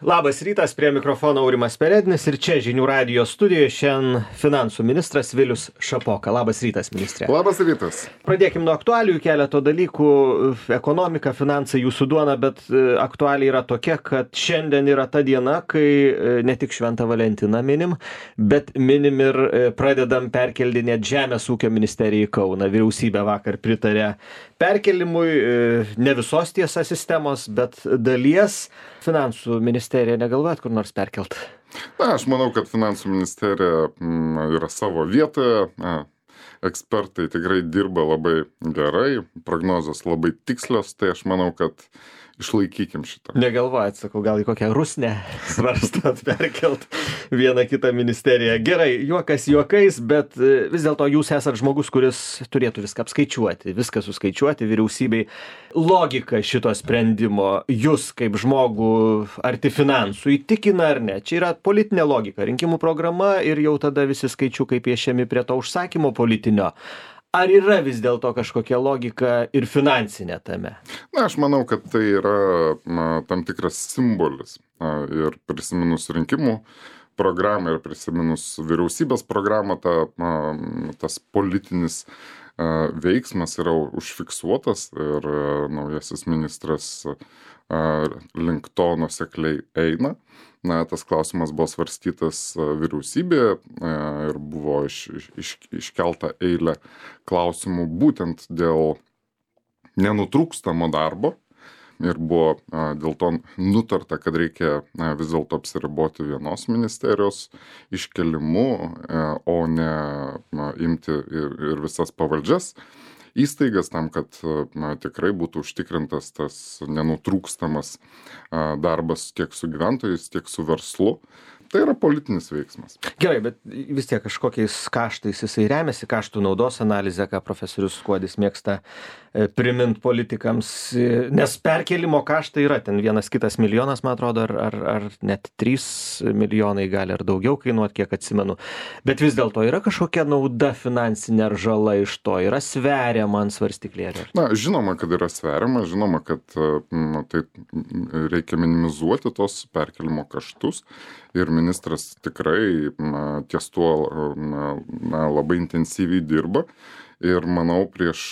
Labas rytas, prie mikrofono Aurimas Perednis ir čia žinių radijo studijoje šiandien finansų ministras Vilius Šapoka. Labas rytas, ministrė. Labas rytas. Pradėkim nuo aktualijų, keleto dalykų. Ekonomika, finansai, jūsų duona, bet aktualija yra tokia, kad šiandien yra ta diena, kai ne tik Šventą Valentiną minim, bet minim ir pradedam perkeldinėti Žemės ūkio ministeriją į Kauną. Vyriausybė vakar pritarė perkelimui, ne visos tiesa sistemos, bet dalies. Finansų ministerija negalvojat kur nors perkelt? Aš manau, kad finansų ministerija yra savo vietoje. Ekspertai tikrai dirba labai gerai, prognozijos labai tikslios, tai aš manau, kad išlaikykim šitą. Negalvojat, sakau, gal į kokią Rusnę svarstat perkelt vieną kitą ministeriją. Gerai, juokas juokais, bet vis dėlto jūs esat žmogus, kuris turėtų viską apskaičiuoti, viską suskaičiuoti vyriausybei. Logika šito sprendimo jūs kaip žmogų arti finansų įtikina ar ne? Čia yra politinė logika, rinkimų programa ir jau tada visi skaičiukai piešiami prie to užsakymo politinio. Ar yra vis dėlto kažkokia logika ir finansinė tame? Aš manau, kad tai yra tam tikras simbolis. Ir prisiminus rinkimų programą ir prisiminus vyriausybės programą, tas politinis veiksmas yra užfiksuotas ir naujasis ministras link to nuosekliai eina. Tas klausimas buvo svarstytas vyriausybėje ir buvo iškelta eilė klausimų būtent dėl nenutrūkstamo darbo. Ir buvo dėl to nutarta, kad reikia vis dėlto apsiriboti vienos ministerijos iškelimu, o ne imti ir visas pavaldžias įstaigas tam, kad tikrai būtų užtikrintas tas nenutrūkstamas darbas tiek su gyventojais, tiek su verslu. Tai yra politinis veiksmas. Gerai, bet vis tiek kažkokiais kaštais jisai remiasi, kaštų naudos analizė, ką profesorius Skuodis mėgsta primint politikams, nes perkelimo kaštai yra, ten vienas kitas milijonas, man atrodo, ar net 3 milijonai gali ar daugiau kainuoti, kiek atsimenu. Bet vis dėlto yra kažkokia nauda finansinė ar žala iš to, yra sveriama ant svarstyklėlio? Žinoma, kad yra sveriama, žinoma, kad tai reikia minimizuoti tos perkelimo kaštus. Ir ministras tikrai ties tuo labai intensyviai dirba. Ir manau, prieš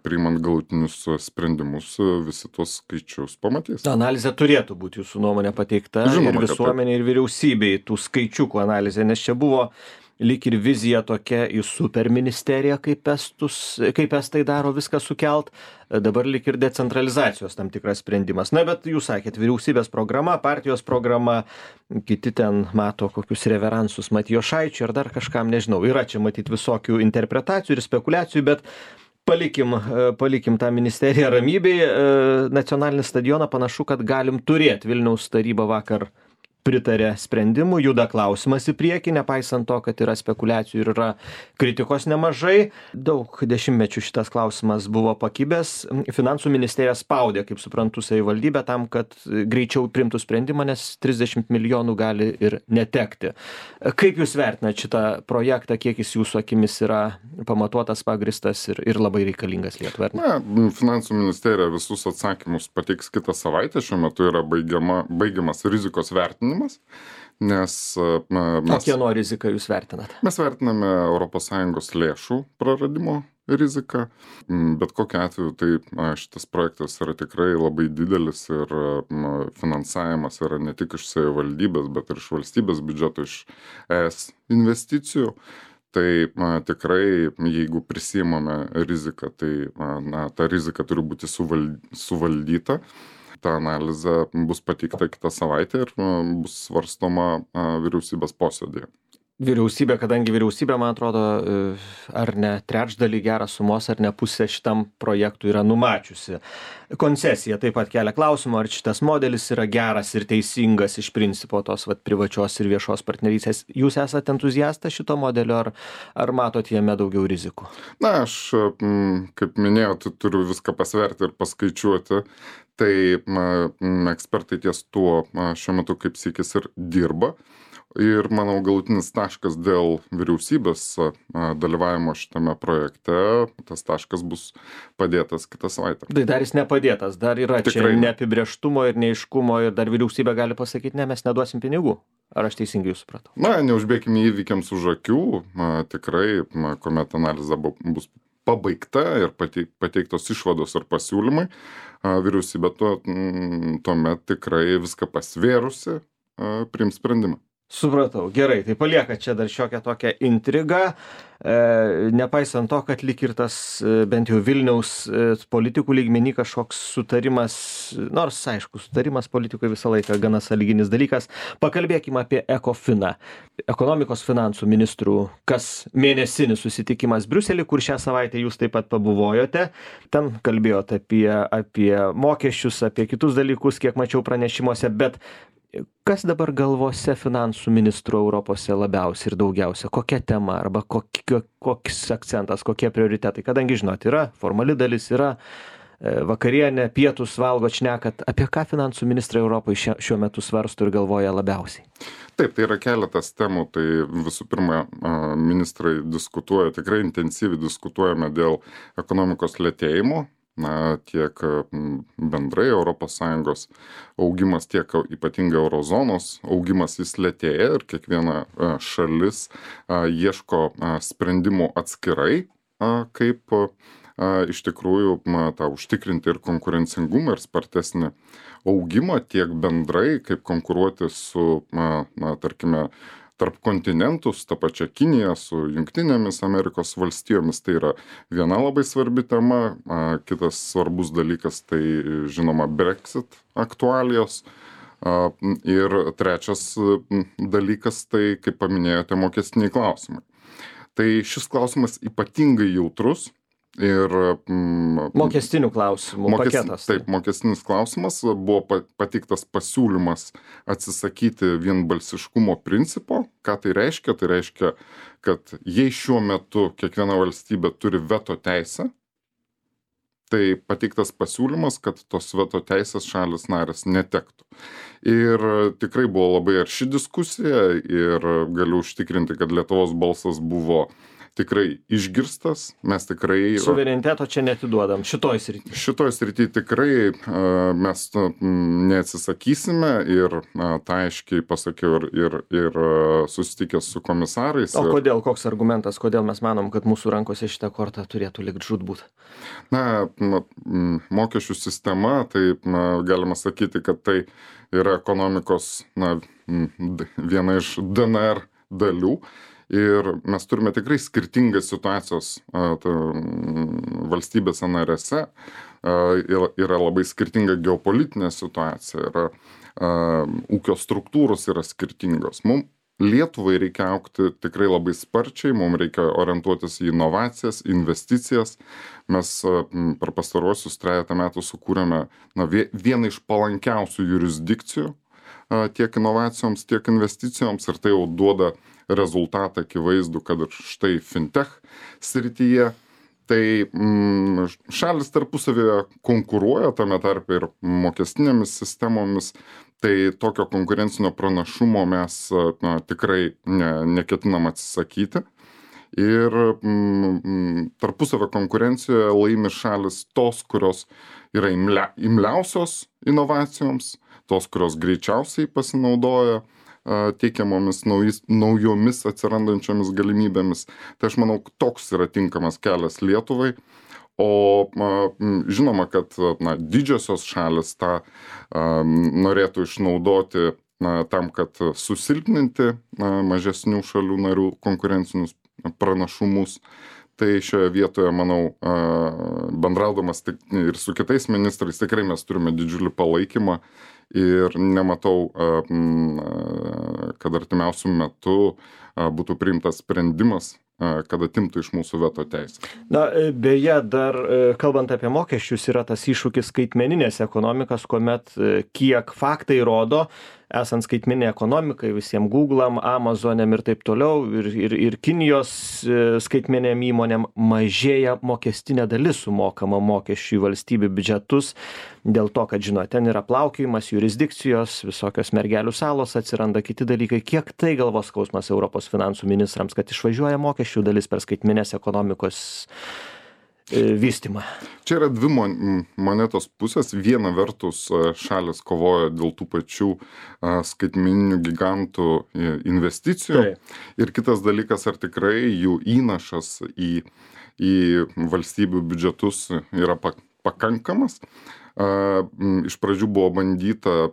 priimant galutinius sprendimus visi tuos skaičius pamatys. Analizė turėtų būti jūsų nuomonė pateikta. Žinoma, ir visuomenė, ir vyriausybei tų skaičiukų analizė, nes čia buvo lyg ir vizija tokia į superministeriją, kaip estai daro viską sukelt, dabar lyg ir decentralizacijos tam tikras sprendimas. Bet jūs sakėt, vyriausybės programa, partijos programa, kiti ten mato kokius reveransus Matijošaičiui ar dar kažkam, nežinau, yra čia matyti visokių interpretacijų ir spekulacijų, bet palikim tą ministeriją ramybėje. Nacionalinį stadioną panašu, kad galim turėti. Vilniaus taryba vakar pritarė sprendimu, juda klausimas į priekį, nepaisant to, kad yra spekulacijų ir yra kritikos nemažai. Daug dešimtmečių šitas klausimas buvo pakibęs. Finansų ministerija spaudė, kaip suprantu, savivaldybę tam, kad greičiau priimtų sprendimą, nes 30 milijonų gali ir netekti. Kaip jūs vertinate šitą projektą, kiek jis jūsų akimis yra pamatuotas, pagristas ir labai reikalingas Lietuvai? Finansų ministerija visus atsakymus pateiks kitą savaitę. Šiuo metu yra baigiamas rizikos vertinimas. Nes kieno riziką jūs vertinate? Mes vertiname ES lėšų praradimo riziką. Bet kokiu atveju tai šitas projektas yra tikrai labai didelis ir finansavimas yra ne tik iš savivaldybės, bet ir iš valstybės biudžeto, iš ES investicijų. Tai tikrai, jeigu prisimame riziką, tai ta rizika turi būti suvaldyta. Ta analizė bus pateikta kitą savaitę ir bus svarstoma vyriausybės posėdėje. Vyriausybė, kadangi vyriausybė, man atrodo, ar ne trečdalį gerą sumos, ar ne pusę šitam projektui yra numačiusi. Koncesija taip pat kelia klausimą, ar šitas modelis yra geras ir teisingas iš principo tos privačios ir viešos partnerystės. Jūs esate entuziastas šito modelio, ar matot jame daugiau rizikų? Aš, kaip minėjau, turiu viską pasverti ir paskaičiuoti. Tai ekspertai ties tuo šiuo metu kaip sykis ir dirba. Ir manau, galutinis taškas dėl vyriausybės dalyvavimo šitame projekte, tas taškas bus padėtas kitą savaitę. Tai dar jis nepadėtas, dar yra Tikrai čia neapibrėžtumo ir neiškumo ir dar vyriausybė gali pasakyti, ne, mes neduosim pinigų. Ar aš teisingai jūs supratau? Na, neužbėkime įvykiams už akių, tikrai, kuomet analizė bus pabaigta ir pateiktos išvados ar pasiūlymai, vyriausybė tuomet tikrai viską pasvėrusi priims sprendimą. Supratau, gerai, tai palieka čia dar šiokią tokią intrigą, nepaisant to, kad lyg ir tas bent jau Vilniaus politikų lygmenį kažkoks sutarimas, nors aišku, sutarimas politikui visą laiką gana sąlyginis dalykas. Pakalbėkime apie ECOFINą, ekonomikos finansų ministrų kas mėnesinis susitikimas Briuselį, kur šią savaitę jūs taip pat pabuvojote. Ten kalbėjote apie mokesčius, apie kitus dalykus, kiek mačiau pranešimuose, bet kas dabar galvose finansų ministrų Europose labiausiai ir daugiausia? Kokia tema arba koks akcentas, kokie prioritetai? Kadangi, žinot, yra formali dalis, yra vakarienė, pietus valgot, šnekat. Apie ką finansų ministrai Europoje šiuo metu svarsto ir galvoja labiausiai? Taip, tai yra keletas temų. Tai visų pirma, ministrai diskutuoja, tikrai intensyviai diskutuojame dėl ekonomikos lėtėjimo. Tiek bendrai ES augimas, tiek ypatingai eurozonos augimas jis lėtėja ir kiekviena šalis ieško sprendimų atskirai, kaip iš tikrųjų tą užtikrinti ir konkurencingumą ir spartesnį augimą, tiek bendrai, kaip konkuruoti su, tarkime, tarp kontinentus, ta pačia Kinija, su Jungtinėmis Amerikos valstijomis, tai yra viena labai svarbi tema. Kitas svarbus dalykas, tai žinoma Brexit aktualijos. Ir trečias dalykas, tai kaip paminėjote, mokestiniai klausimai. Tai šis klausimas ypatingai jautrus. Ir mokestinių klausimų paketas. Taip, mokestinis klausimas, buvo pateiktas pasiūlymas atsisakyti vienbalsiškumo principo. Ką tai reiškia? Tai reiškia, kad jei šiuo metu kiekviena valstybė turi veto teisę, tai pateiktas pasiūlymas, kad tos veto teisės šalis narės netektų. Ir tikrai buvo labai arši diskusija ir galiu užtikrinti, kad Lietuvos balsas buvo tikrai išgirstas, mes tikrai... Suvereniteto čia netiduodam, šitoj srity. Šitoj srity tikrai mes neatsisakysime ir tą aiškiai pasakiau ir susitikęs su komisarais. O kodėl, koks argumentas, kodėl mes manom, kad mūsų rankose šitą kortą turėtų likt žūtbūt? Mokesčių sistema, tai galima sakyti, kad tai yra ekonomikos viena iš DNR dalių. Ir mes turime tikrai skirtingas situacijos valstybėse narėse, yra labai skirtinga geopolitinė situacija, yra ūkio struktūros yra skirtingos. Mums Lietuvai reikia augti tikrai labai sparčiai, mums reikia orientuotis į inovacijas, investicijas. Mes per pastaruosius 3 metų sukūrėme vieną iš palankiausių jurisdikcijų tiek inovacijoms, tiek investicijoms ir tai jau duoda rezultatą akivaizdų, kad ir štai fintech srityje, tai šalis tarpusavėje konkuruoja, tame tarpe ir mokestinėmis sistemomis, tai tokio konkurencinio pranašumo mes tikrai neketinam atsisakyti. Ir tarpusavio konkurencijoje laimi šalis tos, kurios yra imliausios inovacijoms, tos, kurios greičiausiai pasinaudoja teikiamomis naujomis atsirandančiomis galimybėmis. Tai aš manau, toks yra tinkamas kelias Lietuvai. O žinoma, kad didžiosios šalis tą norėtų išnaudoti tam, kad susilpninti mažesnių šalių narių konkurencinius pranašumus. Tai šioje vietoje, manau, bendraudamas ir su kitais ministrais, tikrai mes turime didžiulį palaikymą ir nematau, kad artimiausių metų būtų priimtas sprendimas, kad atimtų iš mūsų veto teisę. Beje, dar kalbant apie mokesčius, yra tas iššūkis skaitmeninės ekonomikas, kuomet kiek faktai rodo, esant skaitmeninei ekonomikai, visiems Google'am, Amazon'am ir taip toliau, ir Kinijos skaitmeniniam įmonėm mažėja mokestinė dalis sumokama mokesčių į valstybių biudžetus, dėl to, kad, žinot, ten yra plaukiojimas, jurisdikcijos, visokios mergelių salos atsiranda, kiti dalykai. Kiek tai galvos skausmas Europos finansų ministrams, kad išvažiuoja mokesčių dalis per skaitmeninės ekonomikos vystymą? Čia yra dvi monetos pusės. Viena vertus šalis kovoja dėl tų pačių skaitmeninių gigantų investicijų. Ir kitas dalykas, ar tikrai jų įnašas į valstybių biudžetus yra pakankamas. Iš pradžių buvo bandyta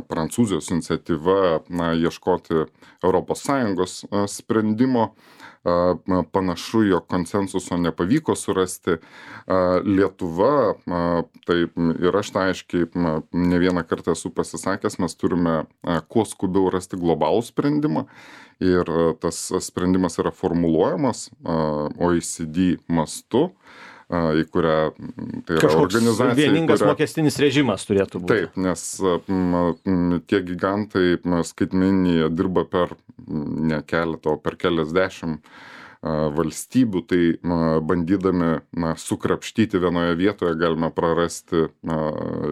Prancūzijos iniciatyva ieškoti ES sprendimo. Panašu, jog konsensuso nepavyko surasti. Lietuva, tai ir aš tai aiškiai ne vieną kartą esu pasisakęs, mes turime kuo skubiau rasti globalų sprendimą ir tas sprendimas yra formuluojamas OECD mastu, į kurią tai yra organizacija. Vieningas mokestinis režimas turėtų būti. Taip, nes tie gigantai skaitmeniniai dirba per ne keletą, o per keliasdešimt valstybių, tai bandydami sukrapštyti vienoje vietoje galime prarasti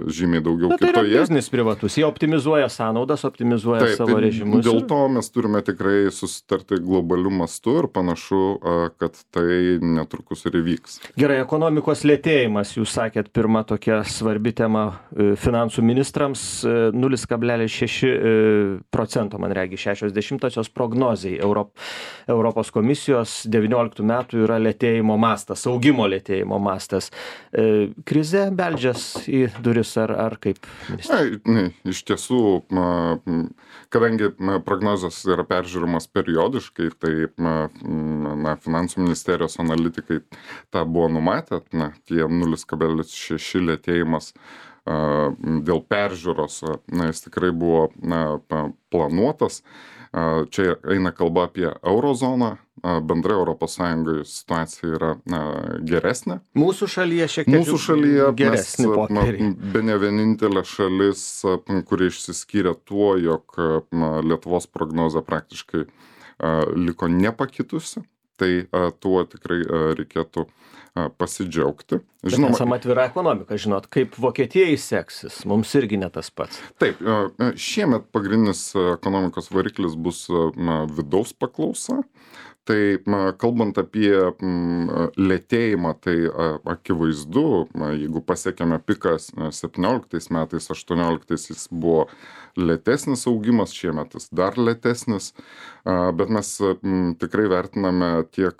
žymiai daugiau kitoje. Tai yra biznis privatus, jie optimizuoja sąnaudas, optimizuoja savo režimus. Dėl to mes turime tikrai susitarti globaliu mastu ir panašu, kad tai netrukus ir įvyks. Gerai, ekonomikos lėtėjimas, jūs sakėt, pirma tokia svarbi tema finansų ministrams, 0,6%, man regi, 60-osios prognozijai Europos komisijos 19 metų yra lėtėjimo mastas, augimo lėtėjimo mastas. Krize beldžias į duris ar kaip? Iš tiesų, kadangi prognozės yra peržiūrimas periodiškai, tai finansų ministerijos analitikai tą buvo numatę, tie 0,6 lėtėjimas dėl peržiūros, jis tikrai buvo planuotas. Čia eina kalba apie eurozoną, bendrai Europos Sąjungoje situacija yra geresnė. Mūsų šalyje šiek tiek geresnė popieriai. Bene vienintelė šalis, kuri išsiskyrė tuo, jog Lietuvos prognozė praktiškai liko nepakitusi, tai tuo tikrai reikėtų pasidžiaugti. Žinoma, esam atvira ekonomika, žinot, kaip Vokietijai seksis, mums irgi ne tas pats. Taip, šiemet pagrindinis ekonomikos variklis bus vidaus paklausa. Tai kalbant apie lėtėjimą, tai akivaizdu, jeigu pasiekėme piką 17 metais, 18 jis buvo lėtesnis augimas, šiemet jis dar lėtesnis, bet mes tikrai vertiname tiek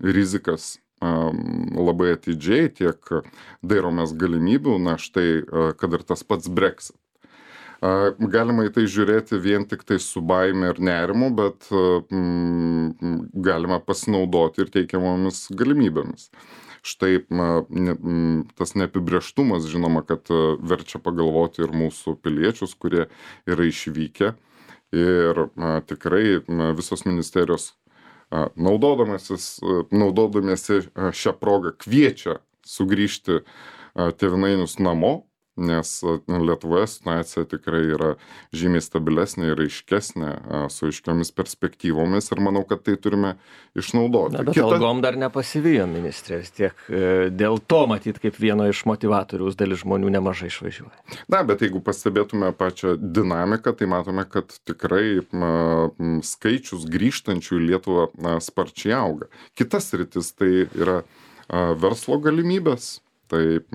rizikas labai atidžiai, tiek dairomės galimybių, štai, kad ir tas pats Brexit. Galima į tai žiūrėti vien tik tai su baime ir nerimu, bet galima pasinaudoti ir teikiamomis galimybėmis. Štai tas neapibrėžtumas, žinoma, kad verčia pagalvoti ir mūsų piliečius, kurie yra išvykę. Ir tikrai visos ministerijos naudodamiesi šią progą kviečia sugrįžti tėvynainius namo, nes Lietuvoje situacija tikrai yra žymiai stabilesnė ir aiškesnė, su aiškiomis perspektyvomis ir manau, kad tai turime išnaudoti. Bet algom dar nepasivijo ministrės, tiek dėl to matyt, kaip vieno iš motivatoriaus dalis žmonių nemažai išvažiuoja. Bet jeigu pastebėtume pačią dinamiką, tai matome, kad tikrai skaičius grįžtančių į Lietuvą sparčiai auga. Kitas sritis tai yra verslo galimybės, tai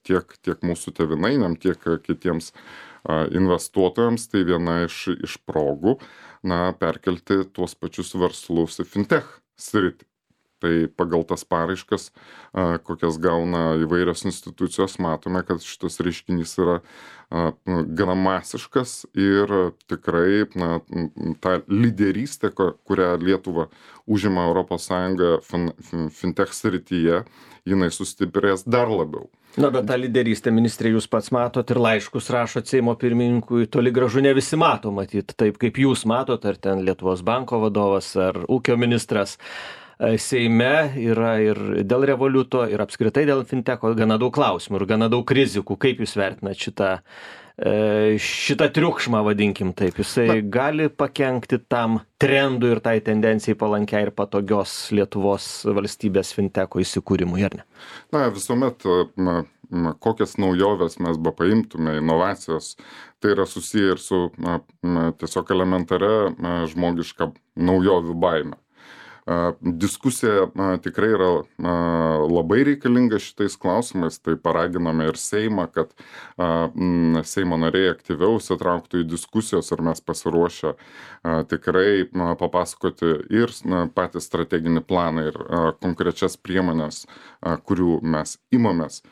tiek mūsų tėvynainiam, tiek kitiems investuotojams, tai viena iš progų perkelti tuos pačius verslus į fintech sritį. Tai pagal tas paraiškas, kokias gauna įvairios institucijos, matome, kad šitas reiškinys yra gana masiškas ir tikrai ta lyderystė, kurią Lietuva užima ES fintech srityje, jinai sustiprės dar labiau. Bet tą lyderystę, ministrė, jūs pats matot ir laiškus rašot Seimo pirmininkui, toli gražu ne visi mato, matyt, taip kaip jūs matot, ar ten Lietuvos banko vadovas, ar ūkio ministras. Seime yra ir dėl Revoliuto, ir apskritai dėl fintecho gana daug klausimų ir gana daug rizikų. Kaip jūs vertinat šitą šitą triukšmą, vadinkim taip, jisai gali pakenkti tam trendui ir tai tendencijai palankiai ir patogios Lietuvos valstybės finteko įsikūrimui, ar ne? Na, visuomet kokias naujoves mes paimtume, inovacijos, tai yra susiję ir su tiesiog elementaria žmogiška naujovių baime. Diskusija tikrai yra labai reikalinga šitais klausimais, tai paraginame ir Seimą, kad Seimo nariai aktyviau įsitrauktų į diskusijos ir mes pasiruošę tikrai papasakoti ir patį strateginį planą ir konkrečias priemonės, kurių mes imamės.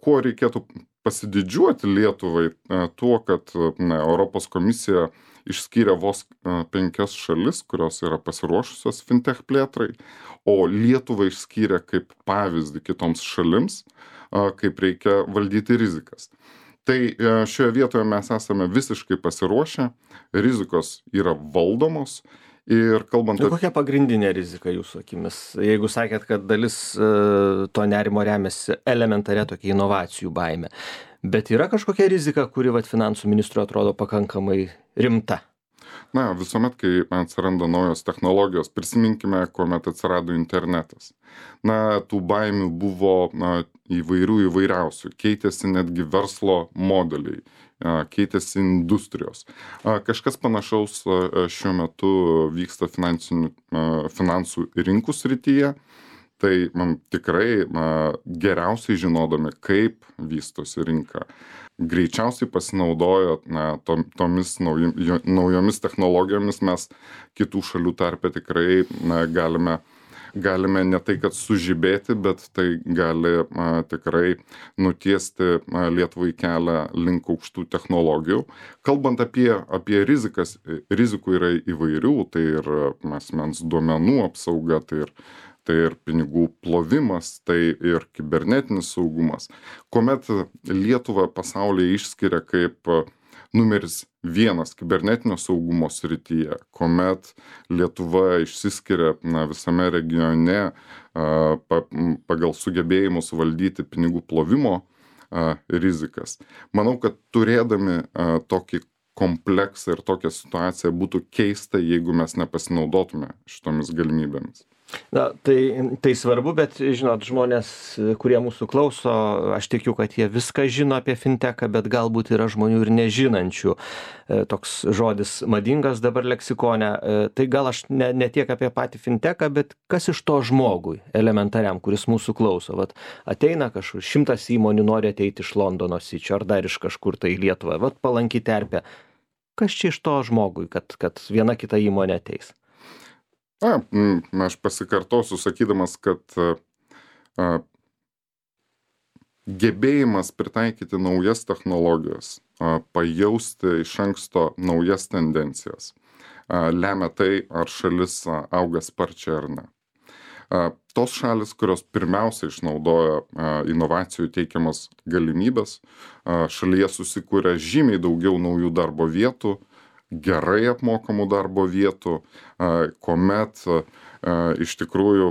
Kuo reikėtų pasididžiuoti Lietuvai tuo, kad Europos komisija išskyrė vos 5 šalis, kurios yra pasiruošusios fintech plėtrai, o Lietuvą išskyrė kaip pavyzdį kitoms šalims, kaip reikia valdyti rizikas. Tai šioje vietoje mes esame visiškai pasiruošę, rizikos yra valdomos ir kalbant... Kokia pagrindinė rizika jūsų akimis? Jeigu sakėt, kad dalis to nerimo remiasi elementaria tokia inovacijų baime, bet yra kažkokia rizika, kuri finansų ministrui atrodo pakankamai rimta? Na, visuomet, kai atsiranda naujos technologijos, prisiminkime, kuomet atsirado internetas. Na, tų baimių buvo įvairiausių, keitėsi netgi verslo modeliai, keitėsi industrijos. Kažkas panašaus šiuo metu vyksta finansų rinkų srityje. Tai tikrai geriausiai žinodami, kaip vystosi rinka, greičiausiai pasinaudojo tomis naujomis technologijomis, mes kitų šalių tarpe tikrai galime ne tai, kad sužibėti, bet tai gali tikrai nutiesti Lietuvai kelią link aukštų technologijų. Kalbant apie rizikas, rizikų yra įvairių, tai ir asmens duomenų apsauga, tai ir pinigų plovimas, tai ir kibernetinis saugumas. Kuomet Lietuva pasaulyje išskiria kaip numeris 1 kibernetinio saugumo srityje, kuomet Lietuva išsiskiria visame regione pagal sugebėjimus valdyti pinigų plovimo rizikas. Manau, kad turėdami tokį kompleksą ir tokią situaciją būtų keista, jeigu mes nepasinaudotume šitomis galimybėmis. Na, tai svarbu, bet žinot, žmonės, kurie mūsų klauso, aš tikiu, kad jie viską žino apie finteką, bet galbūt yra žmonių ir nežinančių. Toks žodis madingas dabar leksikone. Tai gal aš ne tiek apie patį finteką, bet kas iš to žmogui elementariam, kuris mūsų klauso. Vat ateina kažkur 100 įmonių nori ateiti iš Londono Sičio ar dar iš kažkur tai į Lietuvą. Vat palanki terpė. Kas čia iš to žmogui, kad viena kita įmonė ateis? Aš pasikartosiu sakydamas, kad gebėjimas pritaikyti naujas technologijas, pajausti iš anksto naujas tendencijas, lemia tai, ar šalis auga sparčiai ar ne. Tos šalis, kurios pirmiausia išnaudoja inovacijų teikiamas galimybės, šalyje susikūrė žymiai daugiau naujų darbo vietų, gerai apmokamų darbo vietų, kuomet iš tikrųjų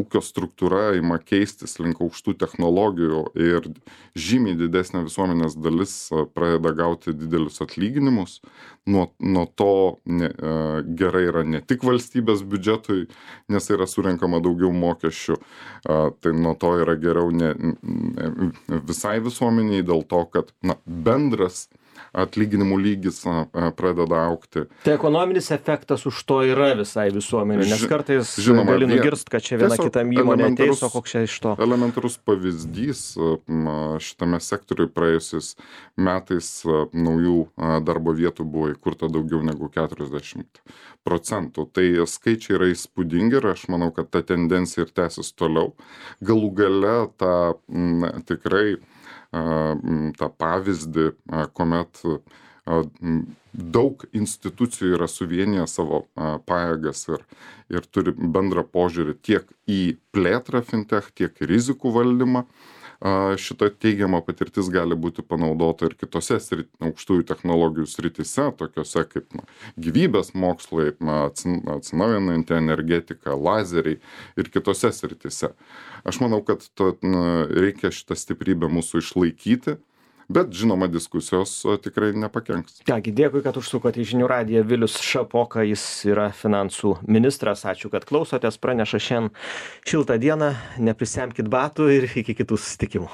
ūkio struktūra ima keistis link aukštų technologijų ir žymiai didesnė visuomenės dalis pradeda gauti didelius atlyginimus. Nuo to gerai yra ne tik valstybės biudžetui, nes yra surenkama daugiau mokesčių, tai nuo to yra geriau visai visuomeniai dėl to, kad bendras atlyginimų lygis pradeda augti. Tai ekonominis efektas už to yra visai visuomenė, nes kartais gali nugirst, kad čia viena kitam įmonė ateis, o koks čia iš to. Elementarus pavyzdys šitame sektoriui praėjusiais metais naujų darbo vietų buvo įkurta daugiau negu 40%. Tai skaičiai yra įspūdingi ir aš manau, kad ta tendencija ir tęsis toliau. Galų gale tikrai tą pavyzdį, kuomet daug institucijų yra suvieniję savo pajėgas ir turi bendrą požiūrį tiek į plėtrą fintech, tiek į rizikų valdymą. Šita teigiama patirtis gali būti panaudota ir kitose aukštųjų technologijų srityse, tokiose kaip gyvybės mokslai, atsinaujinanti energetika, lazeriai ir kitose srityse. Aš manau, kad reikia šitą stiprybę mūsų išlaikyti, bet žinoma diskusijos tikrai nepakenks. Ką gi, dėkui, kad užsukote į Žinių radiją. Vilius Šapoka, jis yra finansų ministras. Ačiū, kad klausotės. Praneša šiandien šiltą dieną, neprisemkit batų ir iki kitų susitikimų.